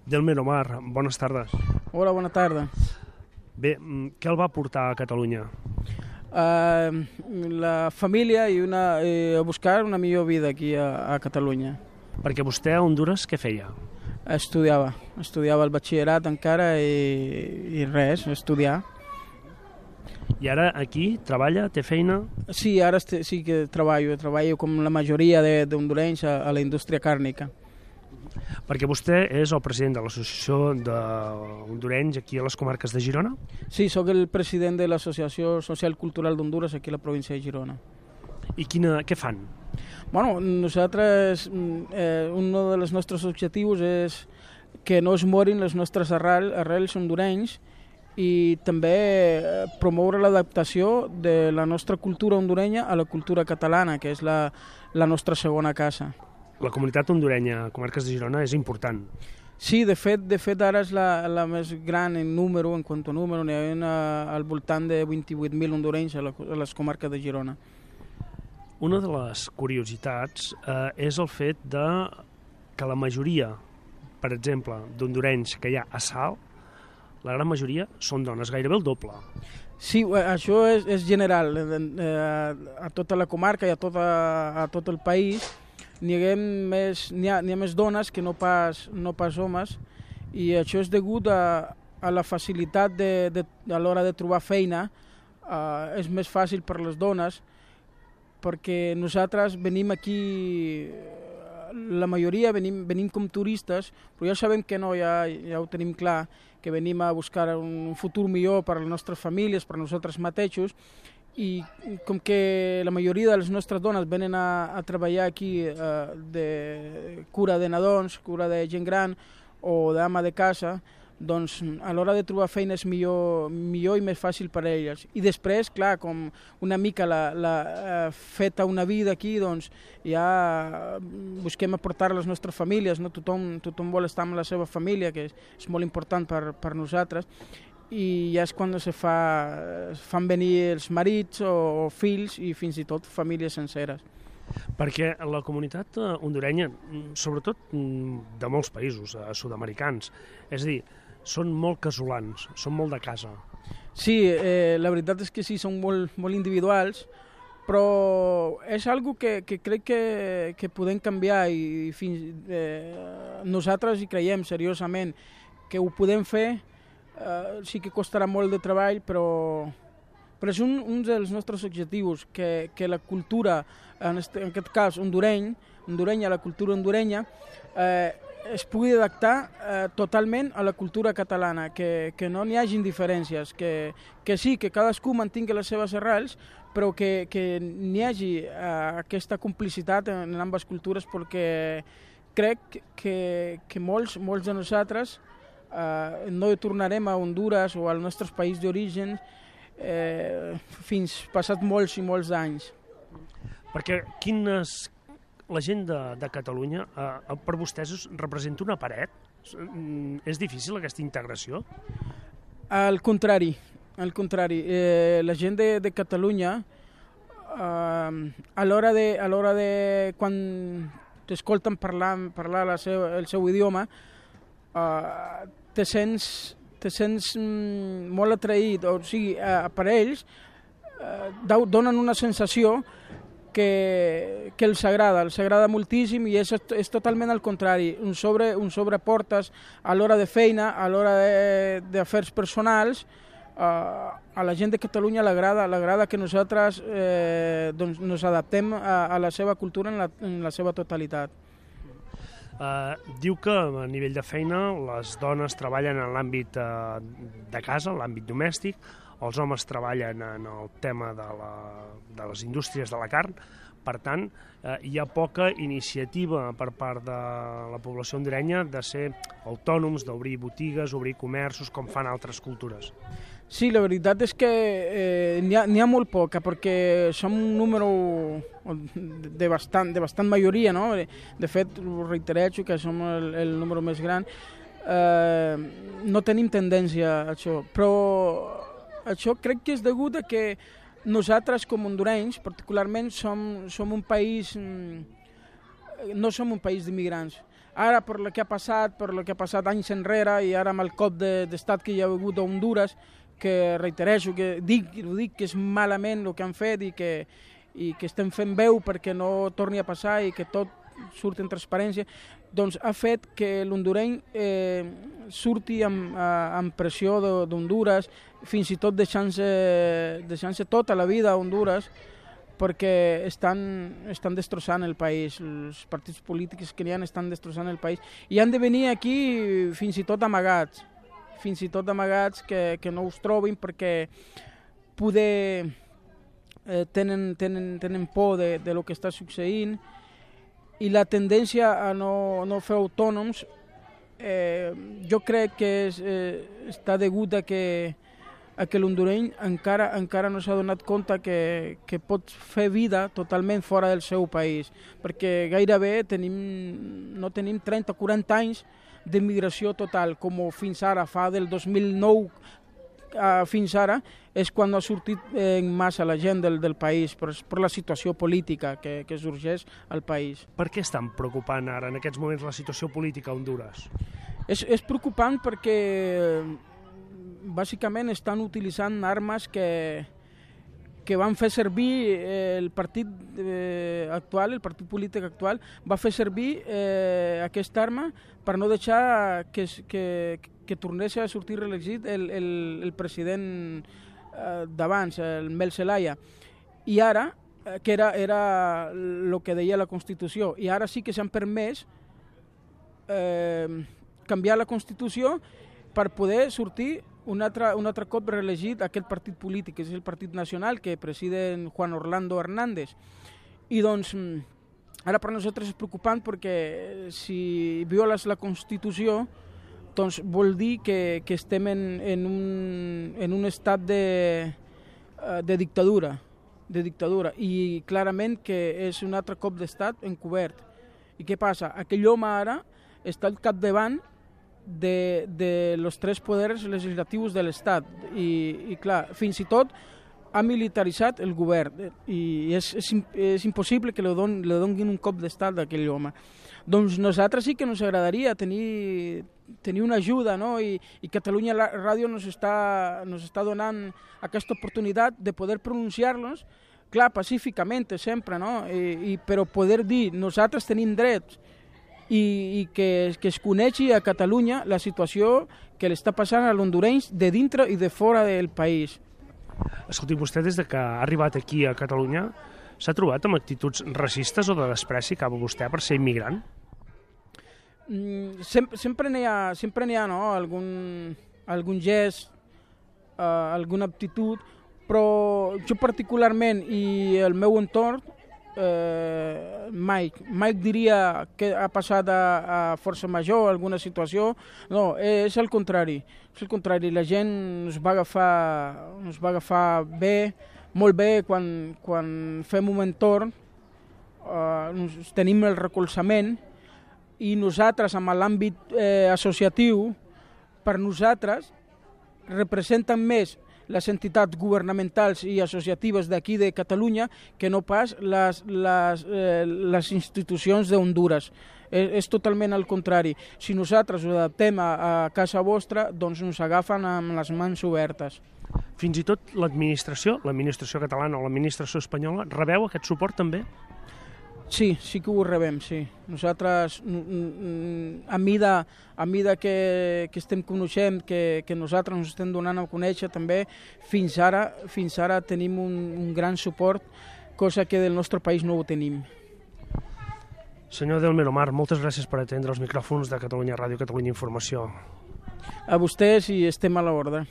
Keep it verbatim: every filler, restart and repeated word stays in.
Delmer Omar, bones tardes. Hola, bona tarda. Bé, què el va portar a Catalunya? Uh, la família i una, eh, a buscar una millor vida aquí a, a Catalunya. Perquè vostè a Hondures què feia? Estudiava, estudiava el batxillerat encara i, i res, estudiar. I ara aquí treballa, té feina? Sí, ara este, sí que treballo, treballo com la majoria d'hondurenys a, a la indústria càrnica. Perquè vostè és el president de l'Associació d'Hondurenys aquí a les comarques de Girona? Sí, sóc el president de l'Associació Social Cultural d'Hondures aquí a la província de Girona. I quina, què fan? Bueno, nosaltres, eh, un dels nostres objectius és que no es morin les nostres arrel, arrels hondurenys i també promoure l'adaptació de la nostra cultura hondurenya a la cultura catalana, que és la, la nostra segona casa. La comunitat hondurenya a comarques de Girona és important. Sí, de fet, de fet ara és la, la més gran en número, en quant a número, n'hi ha una, al voltant de vint-i-vuit mil hondurenys a, la, a les comarques de Girona. Una de les curiositats eh, és el fet de que la majoria, per exemple, d'hondurenys que hi ha a Salt, la gran majoria són dones, gairebé el doble. Sí, això és, és general, eh, a tota la comarca i a, tota, a tot el país. N'hi ha, més, n'hi ha, n'hi ha més dones que no pas, no pas homes, i això és degut a, a la facilitat de, de, a l'hora de trobar feina. Uh, és més fàcil per les dones, perquè nosaltres venim aquí, la majoria venim, venim com turistes, però ja sabem que no, ja, ja ho tenim clar, que venim a buscar un futur millor per a les nostres famílies, per a nosaltres mateixos, i com que la majoria de les nostres dones venen a, a treballar aquí eh, de cura de nadons, cura de gent gran o d'ama de casa, doncs a l'hora de trobar feina és millor, millor i més fàcil per a elles. I després, clar, com una mica la, la eh, feta una vida aquí, doncs ja busquem aportar a les nostres famílies, no? Tothom, tothom vol estar amb la seva família, que és, és molt important per, per nosaltres, i ja és quan se fa, fan venir els marits o, o fills i fins i tot famílies senceres. Perquè la comunitat hondurenya, sobretot de molts països sud-americans, és a dir, són molt casolans, són molt de casa. Sí, eh, la veritat és que sí, són molt, molt individuals, però és algo que, que crec que, que podem canviar i fins, eh, nosaltres hi creiem seriosament que ho podem fer. Uh, sí que costarà molt de treball, però, però és un, un dels nostres objectius, que, que la cultura, en, este, en aquest cas hondureny, hondurenya, la cultura hondurenya, eh, es pugui adaptar eh, totalment a la cultura catalana, que, que no n'hi hagi diferències, que, que sí, que cadascú mantingui les seves arrels, però que, que n'hi hagi eh, aquesta complicitat en, en ambes cultures, perquè crec que, que molts, molts de nosaltres Uh, no tornarem a Hondures o al nostre país d'origen eh, fins passat molts i molts anys. Perquè quines, la gent de, de Catalunya, uh, per vostès representa una paret? Uh, és difícil aquesta integració? Al contrari, al contrari. Eh, la gent de, de Catalunya, uh, a l'hora de, a l'hora de quan t'escolten parlar, parlar la seva, el seu idioma, uh, te sents, te sents mm, molt atraït, o sigui, eh, per ells eh, donen una sensació que, que els agrada, els agrada moltíssim, i és, és totalment al contrari, un sobre, un sobreportes a l'hora de feina, a l'hora d'afers personals, eh, a la gent de Catalunya l'agrada, l'agrada que nosaltres eh, doncs, nos adaptem a, a la seva cultura en la, en la seva totalitat. Uh, diu que a nivell de feina les dones treballen en l'àmbit uh, de casa, l'àmbit domèstic, els homes treballen en el tema de, la, de les indústries de la carn. Per tant, uh, hi ha poca iniciativa per part de la població hondurenya de ser autònoms, d'obrir botigues, obrir comerços, com fan altres cultures. Sí, la veritat és que eh, n'hi ha, n'hi ha molt poca, perquè som un número de bastant, de bastant majoria, no? De fet, ho reiterejo, que som el, el número més gran. Eh, no tenim tendència a això, però això crec que és degut a que nosaltres, com hondurenys, particularment, som, som un país... No som un país d'immigrants. Ara, per el que ha passat, per el que ha passat anys enrere, i ara amb el cop d'estat que hi ha hagut a Honduras, que reitereixo, que dic, ho dic que és malament el que han fet i que, i que estem fent veu perquè no torni a passar i que tot surti en transparència, doncs ha fet que l'hondureny eh, surti amb, amb pressió d'Honduras, fins i tot deixant-se deixant-se tota la vida a Honduras, perquè estan, estan destrossant el país, els partits polítics que hi ha estan destrossant el país, i han de venir aquí fins i tot amagats, fins i tot amagats que, que no us trobin perquè poder eh, tenen, tenen, tenen por de, de lo que està succeint, i la tendència a no, no fer autònoms eh, jo crec que és, eh, està degut a que, a que l'hondureny encara, encara no s'ha donat compte que, que pot fer vida totalment fora del seu país, perquè gairebé tenim, no tenim trenta o quaranta anys de migració total, com fins ara, fa del dos mil nou uh, fins ara, és quan ha sortit en massa la gent del, del país, per, per la situació política que, que sorgeix al país. Per què estan preocupant ara, en aquests moments, la situació política a Honduras? És, és preocupant perquè, bàsicament, estan utilitzant armes que, que van fer servir eh, el partit eh, actual, el partit polític actual, va fer servir eh, aquesta arma per no deixar que, que, que tornés a sortir reelegit el, el, el president eh, d'abans, el Mel Zelaya. I ara, eh, que era, era el que deia la Constitució, i ara sí que s'han permès eh, canviar la Constitució per poder sortir un altre, un altre cop reelegit aquest partit polític, que és el Partit Nacional, que preside Juan Orlando Hernández. I doncs, ara per nosaltres és preocupant perquè si violes la Constitució, doncs vol dir que, que estem en, en, un, en un estat de, de dictadura, de dictadura, i clarament que és un altre cop d'estat encobert. I què passa? Aquell home ara està al capdavant de, de los tres poders legislatius de l'Estat i, i clar, fins i tot ha militaritzat el govern i és, és, és impossible que li, don, li donguin un cop d'estat a aquell home. Doncs nosaltres sí que ens agradaria tenir, tenir una ajuda, no? I, i Catalunya Ràdio nos està, nos està donant aquesta oportunitat de poder pronunciar-nos, clar, pacíficament sempre, no? I, i, però poder dir nosaltres tenim drets i, i que, que es coneixi a Catalunya la situació que li està passant a l'hondurenys de dintre i de fora del país. Escolti, vostè des de que ha arribat aquí a Catalunya s'ha trobat amb actituds racistes o de despreci cap a vostè per ser immigrant? Mm, sempre sempre n'hi ha, sempre n'hi ha no? algun, algun gest, uh, alguna aptitud, però jo particularment i el meu entorn, eh, Mike, Mike diria que ha passat a, a força major alguna situació, no, és el contrari, és el contrari, la gent ens va agafar, ens va agafar bé, molt bé quan, quan fem un entorn, eh, tenim el recolzament i nosaltres amb l'àmbit eh, associatiu, per nosaltres representen més les entitats governamentals i associatives d'aquí de Catalunya que no pas les, les, eh, les institucions d'Honduras. És, és totalment al contrari. Si nosaltres ho adaptem a, a casa vostra, doncs ens agafen amb les mans obertes. Fins i tot l'administració, l'administració catalana o l'administració espanyola, rebeu aquest suport també? Sí, sí que ho rebem, sí. Nosaltres, a mida, a mida que, que estem coneixent, que, que nosaltres ens estem donant a conèixer també, fins ara, fins ara tenim un, un gran suport, cosa que del nostre país no ho tenim. Senyor Delmer Omar, moltes gràcies per atendre els micròfons de Catalunya Ràdio, Catalunya Informació. A vostès i estem a l'ordre.